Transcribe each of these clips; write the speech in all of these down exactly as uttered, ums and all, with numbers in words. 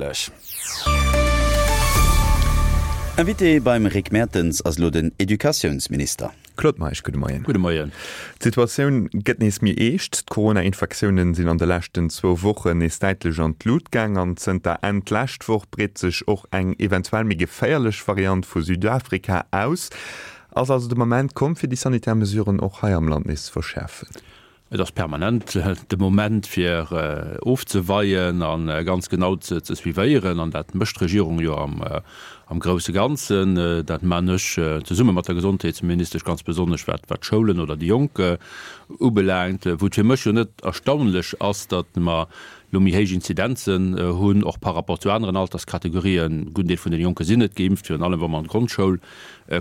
méiglech. Invité beim Rick Mertens ass elo den Educatiounsminister. Claude Meisch, gudde Moien. Gudde Moien. D'Situatioun gëtt nees méi eescht. D'Corona-Infektiounen sinn an de leschten zwou Wochen nees däitlech an d'Lut gaang an zënter Enn d'lescht Woch breet sech och eng eventuell méi geféierlech Variant vu Südafrika aus. Ass also de Moment komm, fir déi sanitär Mesuren och hei am Land nees ze verschäerfen? Et ass permanent de Moment fir ofzeweien a ganz genau ze suivéieren. An dat mécht d'Regierung jo am grousse Ganzen. Dat man ech zesumme mat der Gesondheetsministesch, ganz besonnesch wat d'Schoulen oder déi Jonk ubelaangt. Wou et fir mech jo net erstaunlech ass, datt mer elo méi héich Inzidenzen hunn, och par rapport zu aneren Alterskategorien. E gudden Deel vun den Jonke sinn net geimpft, virun allem wa mer an d'Grondschoul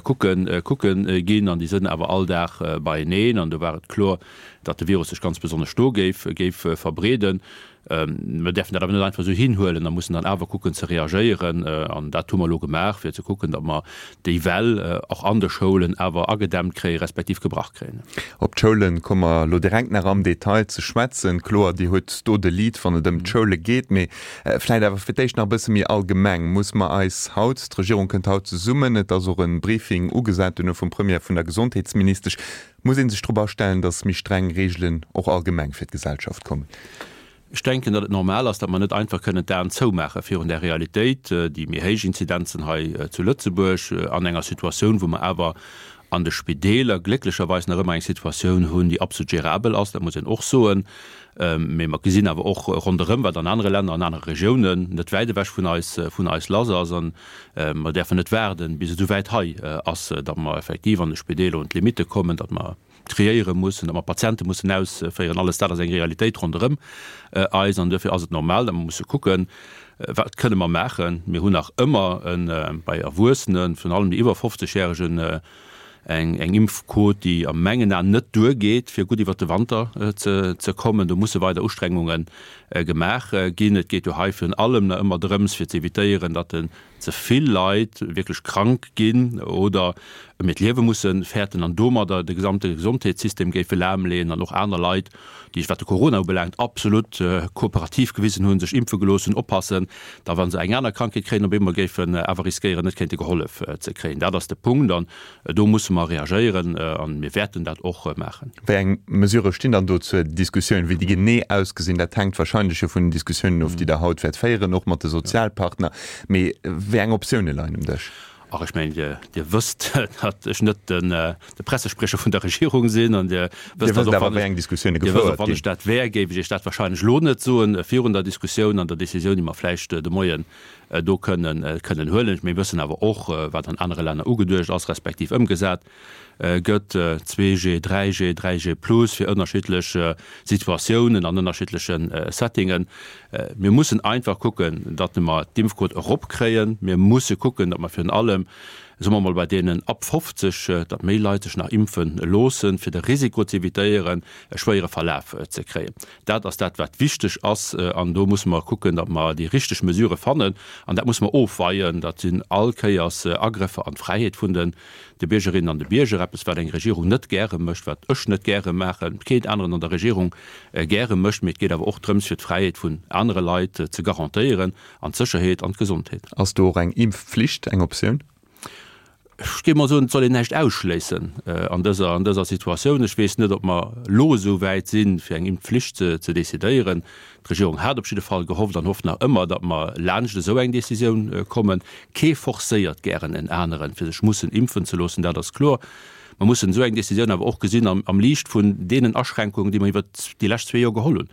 kucken kucke ginn. An déi sënn awer all Dag beieneen. An do war et kloer, datt de Virus sech ganz besonnesch do géif géif verbreeden. Mer däerfen dat awer net einfach esou hinhuelen a mussen dann awer kucken ze reagéieren. An dat hu mer elo gemaach, fir ze kucken, datt mer déi Well och an de Schoulen awer agedämmt kréien, respektiv gebrach kréien. Op d'Schoule komme mer elo direkt nach am Detail ze schwätzen. Kloer, Dir hutt do de Lead, wann et ëm d'Schoule geet. Mee vläicht awer fir d'éischt nach e bësse méi allgemeng. Muss mer eis haut, d'Regierung kënnt haut zesummen, et ass och e Briefing ugesat duerno vum Premier a vun der Gesondheetsministesch, muss ee sech drop astellen, datt méi streng Reegelen och allgemeng fir d'Gesellschaft kommen? Ech denken, datt et normal ass, datt mer net einfach kënnen d'Aen zoumaache virun där Realitéit, déi méi héich Inzidenzen hei zu Lëtzebuerg, an enger Situatioun, wou mer awer an de Spideeler glécklecherweis nach ëmmer eng Situatioun hunn, déi absolut gérabel ass, dat muss een och soen. Mee mer gesinn awer och ronderëm, wat an anere Länner, an anere Regiounen net wäit ewech vun eis, vun eis lass ass. A mer däerfen net waarden, bis et esou wäit hei ass, datt mer effektiv an de Spideeler un d'Limitte kommen, datt mer triéiere mussen, datt mer Patiente mussen ausféieren, alles dat ass eng Realitéit ronderëm eis. An duerfir ass et normal, datt mer musse kucken, Wat kënne mer maachen? Mir hunn nach ëmmer bei Erwuessenen, virun allem déi iwwer fofzeg-Järegen, eng Impfquot, déi a mengen Aen net duergeet, fir gutt iwwert de Wanter ze kommen. Do musse weider Ustrengunge gemaach ginn. Et geet jo hei virun allem nach ëmmer drëms, fir ze evitéieren, datt den ze vill Leit wierklech krank ginn oder ëm hiert Liewe musse fäerten an domadder de gesamte Gesondheetssystem géife lahmleeën an och aner Leit, déi sech, wat de Corona ubelaangt, absolut kooperativ gewisen hunn, sech impfe gelooss hunn, oppassen, da wa se eng aner Krankheet kréien, op eemol géifen awer riskéieren, net kéinte gehollef ze kréien. Dat ass de Punkt an do musse mer reagéieren a mir wäerten dat och maachen. Wéi eng Mesurë stinn dann do zur Diskussioun? Wéi déi genee ausgesinn, dat hänkt wahrscheinlech jo vun den Diskussiounen of, déi Der haut wäert féieren, och mat de Sozialpartner. Mee wéi eng Optioune leien um Dësch? Ach, ech mengen, Dir, Dir wësst, datt ech net den, de Pressesprecher vun der Regierung sinn an Dir wësst, datt och wann ech, Dir wësst och, wann ech dat wär, géif ech Iech dat wahrscheinlech elo net soen, virun der Diskussioun an der Décisioun, déi mer vläicht de Moien do kënnen, kënnen huelen. Mir wëssen awer och, wat an anere Länner ugeduecht ass, respektiv ëmgesat gëtt, zwee G, dräi G, dräi G plus fir ënnerschiddlech Situatiounen an ënnerschiddleche Settingen. Mir mussen einfach kucken, datt mer d'Impfquot eropkréien. Mir musse kucken, datt mer virun allem, soe mer emol, bei deenen ab fofzeg, datt méi Leit sech nach impfe loossen, fir de Risiko ze evitéieren, e schwéiere Verlaf ze kréien. Dat ass dat, wat wichteg ass. An do musse mer kucken, datt mer déi richteg Mesurë fannen. An dat musse mer ofweien. Dat sinn all Kéiers Agrëffer an d'Fräiheet vun de de Biergerinnen an de Bierger, eppes wat eng Regierung net gäre mécht, wat ech net gäre maachen, keen aneren an der Regierung gäre mécht, mee et geet awer och drëms fir d'Fräiheet vun anere Leit ze garantéieren an d'Sécherheet an d'Gesondheet. Ass do och eng Impfflicht eng Optioun? Ech géif mol soen, et soll een näischt ausschléissen an dëser, an dëser Situatioun. Ech weess net, ob mer elo esou wäit sinn, fir eng Impfflicht ze, ze decidéieren. D'Regierung hat op jidde Fall gehofft an hofft nach ëmmer, datt mer laanscht esou eng Decisioun kommen. Kee forcéiert gären en aneren, fir sech mussen impfen ze loossen, dat ass kloer. Mer mussen esou eng Decisioun awer och gesinn am, am Liicht vun deenen Aschränkungen, déi mer iwwert déi lescht zwee Joer geholl hunn.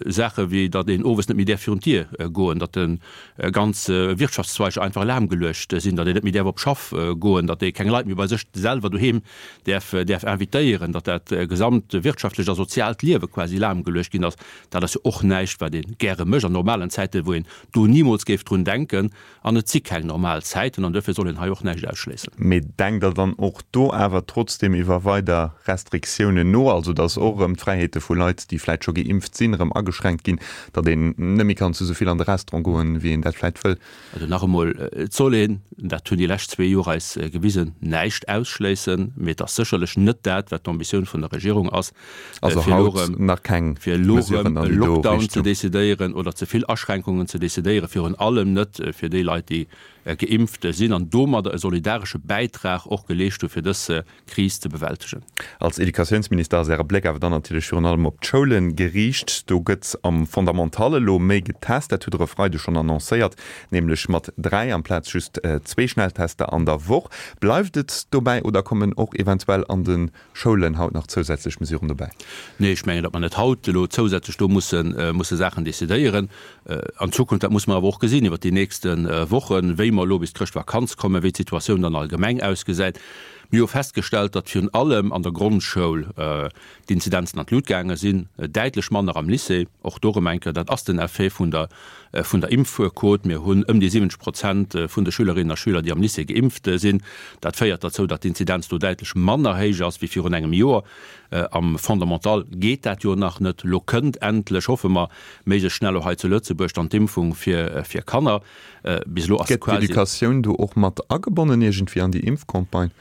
Saache wéi datt een owes net méi däerf virun d'Dier goen, datt de ganz Wirtschaftszweiger einfach lahmgeluecht sinn, datt een net méi däerf op d'Schaff goen, datt ee keng Leit méi bei sech selwer doheem däerf däerf invitéieren, datt dat gesamt wirtschaftlecht a soziaalt Liewe quasi lahmgeluecht ginn ass. Dat ass jo och näischt, wat ee gäre mécht an normalen Zäiten, wou een do nimools géif drun denken. An et si keng normal Zäiten an duerfir soll een hei och näischt ausschléissen. Mee denkt Der dann och do awer trotzdem iwwer weider Restriktiounen no, also datt och erëm d'Fräiheete vu Leit, déi vläicht scho geimpft sinn, sinn, erëm ageschränkt ginn, datt een net méi kann zu esou vill an de Restaurant goen, wéi een dat vläit wëll? Also nach emol, et soll een, dat hunn déi lescht zwee Joer eis gewisen, näischt ausschléissen, mee et ass sécherlech net dat, wat d'Ambitioun vun der Regierung ass, Also fir elo haut erëm, nach keng fir elo erëm Mesuren e an déi do Lockdown ze Richtung. decidéieren oder ze vill Aschränkungen ze decidéieren, virun allem net fir déi Leit, déi geimpft sinn an domadder e solidaresche Bäitrag och geleescht hu fir dës Kris ze bewältegen. Als Educatiounsminister ass Äre Bléck awer dann natierlech virun allem op d'Schoule geriicht. Do gëtt am Fondamental elo méi getest, dat hutt Der e Freideg schonn annoncéiert, nämlech mat dräi amplaz just zwee Schnelltester an der Woch. Bleift et dobäi oder kommen och eventuell an de Schoulen haut nach zousätzlech Mesuren dobäi? Nee, ech mengen, datt mer net haut elo zousätzlech do musse musse Saachen decidéieren an Zukunft. Dat muss mer awer och gesinn iwwert déi nächste Wochen, wéi mer elo bis d'Chrëschtvakanz kommen, wéi d'Situatioun dann allgemeng ausgesäit. Mir hu festgestellt, datt virun allem an der Grondschoul d'Inzidenzen an d'Lut gaange sinn, däitlech manner am Lycée. Och do erëm eng Kéier, dat ass den Effet vun der vun der Impfquot. Mir hunn ëm déi siwwenzeg Prozent vun de Schülerinnen a Schüler, déi am Lycée geimpft sinn. Dat féiert derzou, datt d'Inzidenz do däitlech manner héich ass wéi virun engem Joer. Am Fondamental geet dat jo nach net. Elo kënnt endlech, hoffe mer, méiglechst schnell och hei zu Lëtzebuerg dann d'Impfung fir fir Kanner. Bis elo ass Gëtt quasi. d'Educatioun do och mat agebonnen iergendwéi an déi Impfcampagne?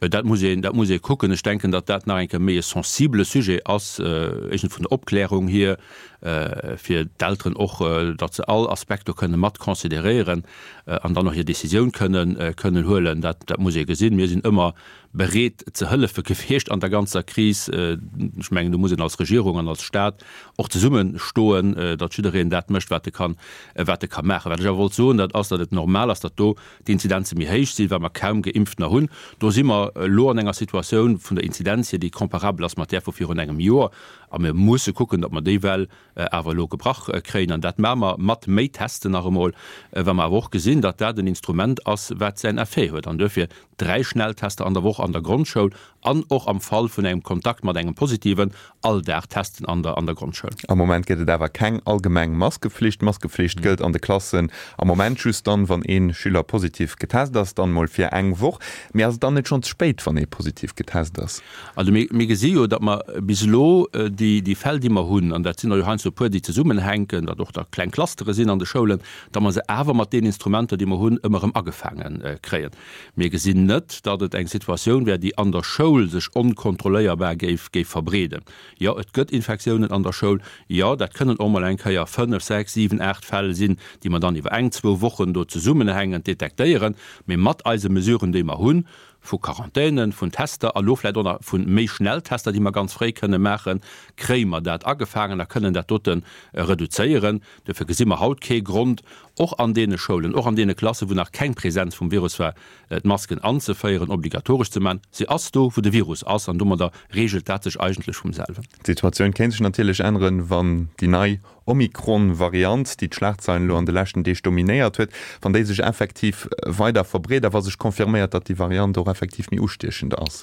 Dat muss een, dat muss ee kucken. Ech denken, datt dat nach eng Kéier méi e sensibele Sujet ass, éischtens vun der Opklärung hier, fir d'Elteren och, datt se all Aspekt do kënne mat consideréieren an dann och hir Décisioun kënnen, kënnen huelen. Dat, dat muss ee gesinn. Mir sinn ëmmer bereet ze hëllefe gewiescht an der ganzer Kris. Ech mengen, do muss een als Regierung an als Stat och zesumme stoen, datt jiddereen dat mécht, wat e kann, wat e ka maachen. Wat ech awer wollt soen, dat ass, datt et normal ass, datt do d'Inzidenze méi héich sinn, well mer kaum Geimpftener hunn. Do si mer elo an enger Situatioun vun der Inzidenz hier, déi comparabel ass mat där vu virun engem Joer. A mir musse kucken, datt mer déi Well awer elo gebrach kréien. An dat maache mer mat méi Testen nach emol, well mer awer och gesinn, datt dat en Instrument ass, wat säin Effet huet. An duerfir dräi Schnelltester an der Woch an der Grondschoul an och am Fall vun engem Kontakt mat engem Positiven all Dag testen an der an der Grondschoul. Am Moment gëtt et awer keng allgemeng Maskeflicht. D'Maskeflicht gëllt an de Klassen am Moment just dann, wann ee Schüler positiv getest ass, dann mol fir eng Woch. Mee ass et dann net schonn ze spéit, wann ee positiv getest ass? Also mir mir gesi jo, datt mer bis elo déi déi Fäll, déi mer hunn, an dat sinn der jo heiansdo e puer, déi zesummenhänken, datt och da kleng Clustere sinn an de Schoulen, datt mer se awer mat deenen Instrumenter, déi mer hunn, ëmmer erëm agefaange kréien. Mir gesinn net, datt et eng Situatioun wär, déi an der Schoul sech onkontrolléierbar géif géif verbreeden. Jo, et gëtt Infektiounen an der Schoul. Jo, dat kënnen och mol eng Kéier fënnef, sechs, siwen, aacht Fäll sinn, déi mer dann iwwer eng, zwou Wochen do zesummenhängend detektéieren. Mee mat eise Mesuren, déi mer hunn, vu Quarantänen, vun Tester a lo vläicht och nach vu méi Schnelltester, déi mer ganz fréi kënne maachen, kréie mer dat agefaangen a kënnen dat dote reduzéieren. Duerfir gesi mer haut kee Grond, och an deene Schoulen, och an deene Klassen, wou nach keng Präsenz vum Virus war, d'Masken anzeféieren, obligatoresch ze maachen. Se ass do, wou de Virus ass, an domadder reegelt dat sech eigentlech vum selwen. D'Situatioun kéint sech natierlech änneren, wann déi nei Omikron-Variant, déi d'Schlagzeilen elo an de leschten Deeg dominéiert huet, wann déi sech effektiv weider verbreet a wa sech confirméiert, datt déi Variant och effektiv méi ustiechend ass.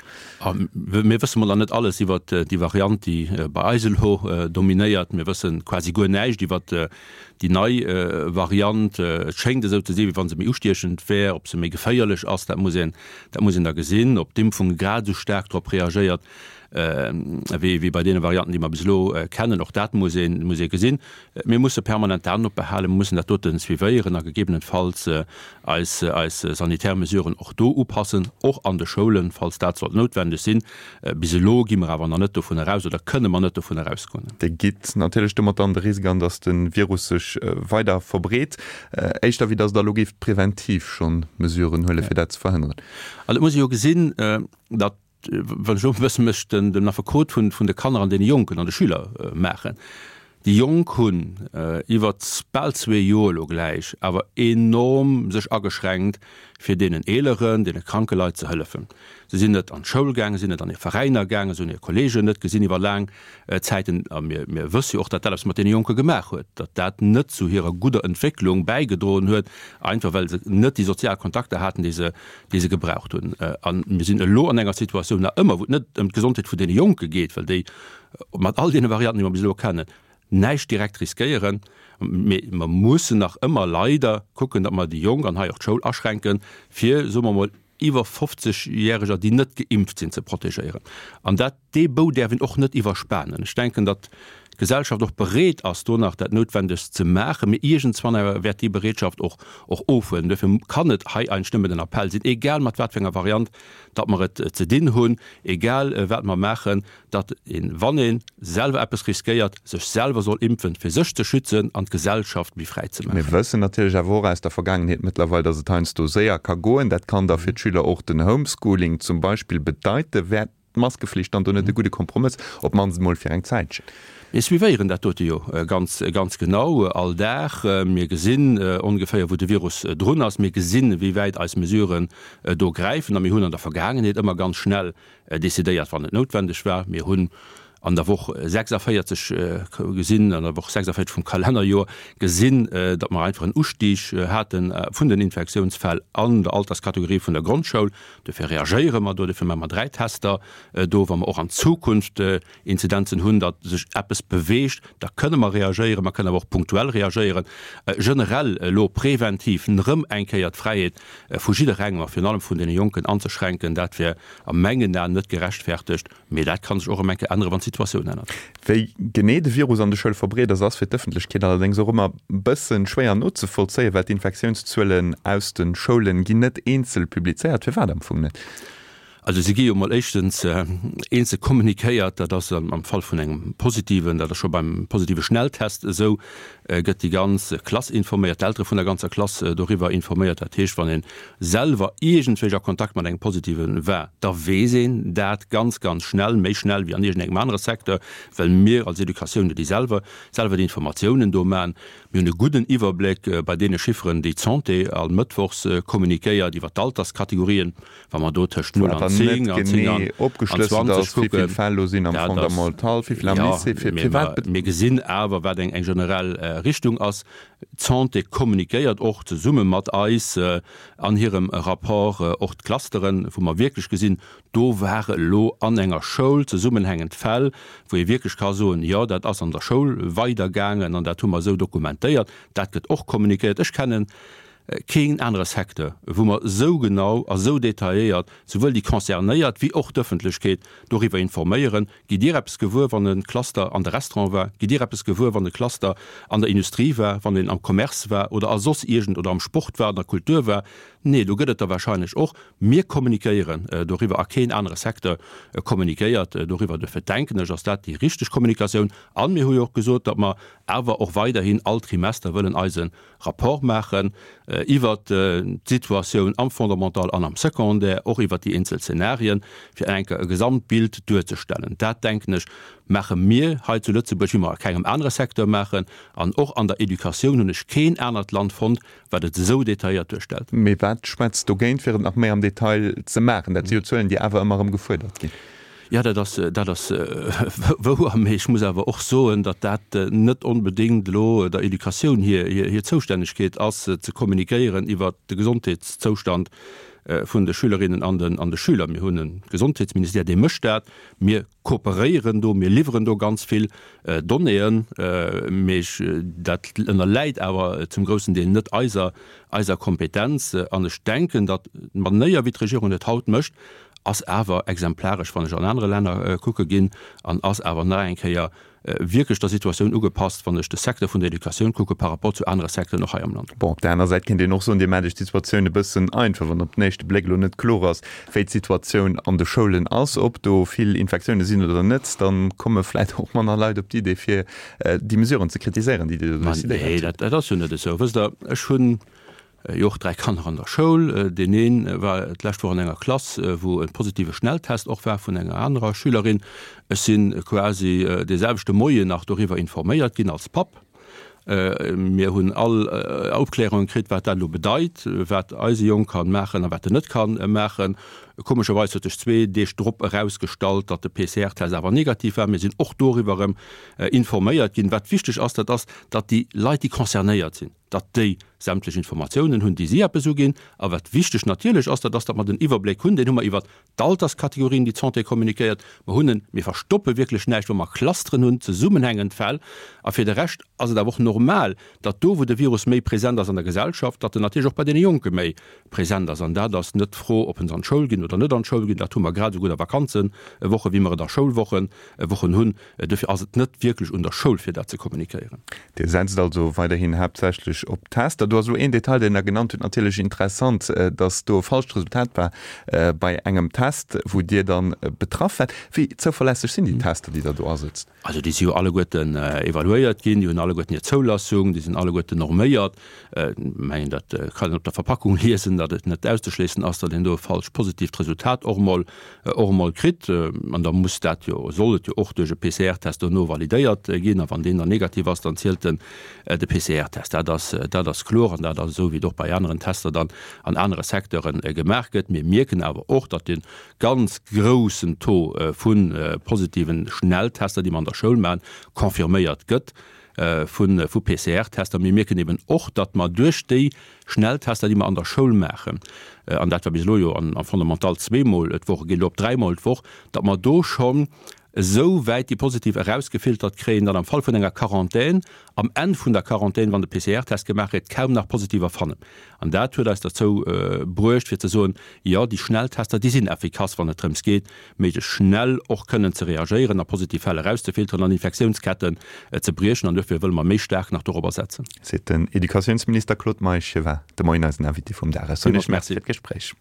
Mir wësse mol nach net alles iwwert déi Variant, déi bei eis elo dominéiert. Mir wësse quasi guer näischt iwwert déi nei Variant. Et schéngt esou ze sinn, wéi wa se méi ustiechend wär. Ob se méi geféierlech ass, dat muss een, dat muss een da gesinn. Ob d'Impfung grad esou staark drop reagéiert, wéi wéi bei deene Varianten, déi mer bis elo kennen. Och dat muss een, muss ee gesinn. Mir musse permanent d'Aen opbehalen, mir mussen dat dote suivéieren a gegebenenfalls eis, eis sanitär Mesuren och do upassen, och an de Schoulen, falls dat sollt noutwendeg sinn. Bis elo gi mer awer nach net dovun eraus oder kënne mer net dovun erausgoen. Dir gitt natierlech domat dann de Risk an, datt de Virus sech weider verbreet, éischter wéi datt Der elo géift preventiv schonn Mesuren huelen, fir dat ze verhënneren. Also et muss ee jo gesinn, datt wann ech elo e bësse mech den Affekot vun de Kanner an deene Jonken an de Schüler maachen, déi Jonk hunn iwwer bal zwee Joer elo gläich awer enorm sech ageschränkt, fir deenen Eeleren, deene kranke Leit ze hëllefen. Se sinn net an d'Schoul gaangen, sinn net an hir Veräiner gaangen, se hunn hir Kolleegen net gesinn iwwer laang Zäiten. A mir, mir wësse jo och, datt dat eppes mat deene Jonke gemaach huet, datt dat net zu hirer gudder Entwécklung bäigedroen huet, einfach well se net déi sozial Kontakter haten, déi se, déi se gebraucht hunn. A mir sinn elo an enger Situatioun nach ëmmer, wou et net ëm d'Gesondheet vun deene Jonke geet, well déi mat all deene Varianten, déi mer bis elo kennen, näischt direkt riskéieren. Mee mer mussen nach ëmmer leider kucken, datt mer déi Jonk an hei och d'Schoul aschränken, fir, soe mer emol, iwwer fofzeg Järeger, déi net geimpft sinn, ze protegéieren. An dat, dee Bou däerf een och net iwwerspanen. Ech denken, datt d'Gesellschaft och bereet ass, do nach dat Noutwendegst ze maachen. Mee iergendswann awer wäert déi Bereetschaft och och ofhuelen. Duerfir kann et hei eigentlech nëmmen den Appell sinn, egal mat wat fir enger Variant datt mer et ze dinn hunn, egal wat mer maachen, datt een, wann ee selwer eppes riskéiert, sech selwer soll impfen, fir sech ze schützen an d'Gesellschaft méi fräi ze Mir maachen. wëssen natierlech awer och aus der Vergaangenheet mëttlerweil, datt et heiansdo séier ka goen. Dat kann da fir d'Schüler och den Homeschooling zum Beispill bedeiten. Wär d'Maskeflicht dann do net e gudde Kompromëss, op d'mannst emol fir eng Zäitchen? Mir suivéieren dat dote jo ganz, ganz genau all Dag. Mir gesinn ongeféier, wou de Virus drun ass. Mir gesinn, wéi wäit eis Mesuren do gräifen. A mir hunn an der Vergaangenheet ëmmer ganz schnell decidéiert, wann et noutwendeg war. Mir hunn an der Woch sechsundvierzig gesinn, an der Woch sechsundvierzig vum Kalennerjoer gesinn, datt mer einfach en Ustig hate vun den Infektiounsfäll an der Alterskategorie vun der Grondschoul. Dofir reagéiere mer do, dofir maache mer dräi Tester do. Wa mer och an Zukunft Inzidenzen hunn, datt sech eppes beweegt, da kënne mer reagéieren. Mer kënnen awer och punktuell reagéieren. Generell elo preventiv erëm eng Kéier d'Fräiheet vu jidderengem a virun allem vun deene Jonken anzeschränken, dat wär a mengen Aen net gerechtfertegt. Mee dat ka sech och erëm eng Kéier änneren, wann d'Situatioun ännert. Wéi genee de Virus an de Schoule verbreet ass, ass fir d'Ëffentlechkeet allerdéngs och ëmmer e bësse schwéier nozevollzéien, well d'Infektiounszuelen aus de Schoulen ginn net eenzel publizéiert. Firwat am Fong net? Also se gi jo mol éischtens eenzel kommunikéiert, dat ass am Fall vun engem positiven, dat ass scho beim positive Schnelltest esou, gëtt déi ganz Klass informéiert, d'Eltere vun der ganzer Klass doriwwer informéiert. Dat heescht, wann ee selwer iergendwéi a Kontakt mat engem Positive war, da weess een dat ganz, ganz schnell, méi schnell wéi an iergendengem anere Secteur, well mir als Educatioun jo déi selwer, selwer déi Informatiounen do maachen. Mir hunn e gudden Iwwerbléck bei deene Chifferen, déi d'Santé all mëttwochs kommunikéiert iwwer d'Alterskategorien. Wa mer do tëscht null an zéng an zéng an zwanzeg kucken, dat ass, jo, mee mer, mir gesinn awer, wat eng generell Richtung ass. D'Santé kommunikéiert och zesumme mat eis an hirem Rapport och d'Clusteren, wou mer wierklech gesinn, do ware elo an enger Schoul zesummenhängend Fäll, wou ee wierklech ka soen, jo, dat ass an der Schoul weidergaangen an dat hu mer esou dokumentéiert. Dat gëtt och kommunikéiert. Ech kennen keen anere Secteur, wou mer esou genau a esou detailléiert souwuel déi Concernéiert wéi och d'Ëffentlechkeet doriwwer informéieren. Gitt Dir eppes gewuer, wann e Cluster an de Restaurant war? Gitt Dir eppes gewuer, wann e Cluster an der Industrie war, wann een am Commerce war oder a soss iergend oder am Sport war, an der Kultur war? Nee, do gëtt et der wahrscheinlech och. Mir kommunikéieren doriwwer a keen anere Secteur kommunikéiert doriwwer. Dofir denken ech, ass dat déi richteg Kommunikatioun. A mir hu jo och gesot, datt mer awer och weiderhin all Trimester wëllen eise Rapport maachen iwwert d'Situatioun am Fondamental an am Secondaire, och iwwert déi eenzel Zenarien, fir eng Kéier e Gesamtbild duerzestellen. Dat, denken ech, maache mir hei zu Lëtzebuerg, wéi mer a kengem anere Secteur maachen. An och an der Educatioun hunn ech keen anert Land fonnt, wat et esou detailléiert duerstellt. Mee wat schwätzt dogéint, fir et nach méi am Detail ze maachen? Dat si jo Zuelen, déi awer ëmmer erëm gefuerdert ginn. Jo, dat ass, dat ass wouer. Mee ech muss awer och soen, datt dat net onbedéngt elo der Educatioun hir, hir Zoustännegkeet ass, ze kommunikéieren iwwert de Gesondheetszoustand vun de Schülerinnen an den, an de Schüler. Mir hunn e Gesondheetsministère, dee mécht dat. Mir kooperéieren do, mir liwweren do ganz vill Donnéeën, mee ech, dat ënnerläit awer zum groussen Deel net eiser, eiser Kompetenz. An ech denken, datt d'Manéier, wéi d'Regierung et haut mécht, ass awer exemplaresch, wann ech an anere Länner kucke ginn, an ass awer nach eng Kéier wierklech der Situatioun ugepasst, wann ech de Secteur vun der Educatioun kucke par rapport zu anere Secteuren och hei am Land. Bon, op där aner Säit kéint een och soen, Dir maacht Iech d'Situatioun e bëssen einfach, wann op den éischte Bléck elo net kloer ass, wéi d'Situatioun an de Schoulen ass, ob do vill Infektioune sinn oder net, da komme vläicht och manner Leit op d'Idee, fir déi Mesuren ze kritiséieren, déi Dir do decidéiert hutt. Nee, dat ass jo net esou. Wësst Der, ech hunn Jo, och dräi Kanner an der Schoul. Deen ee war d'lescht Woch an enger Klass, wou e positive Schnelltest och war vun enger anerer Schülerin. Ech si quasi dee selwechte Moien nach doriwwer informéiert ginn als Papp. Mir hunn all Opklärungen kritt, wat dat elo bedeit, wat eise Jong ka maachen a wat en net ka maachen. Komescherweis huet sech zwee Deeg drop erausgestallt, datt de P C R-Test awer negativ war. Mir sinn och doriwwer erëm informéiert ginn. Wat wichteg ass, dat ass, datt déi Leit, déi concernéiert sinn, datt déi sämtlech Informatiounen hunn, déi si eppes uginn. A wat wichteg natierlech ass, dat ass, datt mer den Iwwerbléck hunn, deen hu mer iwwert d'Alterskategorien, déi d'Santé kommunikéiert. Mer hunn en, mir verstoppe wierklech näischt, wa mer Clusteren hunn, zesummenhängend Fäll. A fir de Rescht ass et awer och normal, datt do, wou de Virus méi present ass an der Gesellschaft, datt en natierlech och bei deene Jonke méi present ass. An dat ass net d'Fro, ob en se an d'Schoul ginn oder net an d'Schoul ginn. Dat hu mer grad esou gutt a Vakanzewoche wéi mer et a Schoulwochen Wochen hunn. Dofir ass et net wierklech un der Schoul, fir dat ze kommunikéieren. Dir setzt also weiderhin haaptsächlech op Tester. Do ass elo een Detail, deen Der genannt hutt, natierlech interessant, dass do e falscht Resultat war bei engem Test, wou Dir dann betraff waart. Wéi zouverlässeg sinn déi Tester, déi Der do asetzt? Also déi si jo alleguerten evaluéiert ginn, déi hunn alleguerten hir Zoulassung, déi sinn alleguerten norméiert. Ech mengen, dat kann een op der Verpackung liesen, datt et net auszeschléissen ass, datt een do e falsch positiivt Resultat och emol, och emol kritt. An da muss dat jo, soll et jo och duerch e P C R Test dono validéiert ginn. A wann deen dann negativ ass, dann zielt den de P C R Test. Dat ass, dat ass kloer an dat ass esou, wéi et och bei aneren Tester dann an anere Secteure gemaach gëtt. Mir mierken awer och, datt dee ganz groussen Taux vu positiven Schnelltester, déi mer an der Schoul maachen, confirméiert gëtt vu P C R Tester. Mir mierken eben och, datt mer duerch déi Schnelltester, déi mer an der Schoul maachen, an dat war bis elo jo am Fondamental zweemol d'Woch, geet elo op dräimol d'Woch, datt mer do schonn esou wäit déi positiv erausgefiltert kréien, datt am Fall vun enger Quarantän, am Enn vun der Quarantän, wann de P C R Test gemaach gëtt, kaum nach Positiver fannen. An dat huet eis derzou bruecht, fir ze soen, Jo, déi Schnelltester, déi sinn effikass, wann et drëms geet, méiglechst schnell och kënnen ze reagéieren a positiv Fäll erauszefilteren an Infektiounsketten ze briechen. An duerfir wëlle mer méi staark nach dorobber setzen. Seet den Educatiounsminister Claude Meisch. Hie war de Moien eisen Invité vum Dag. Ech soen Iech Merci fir d'Gespréich.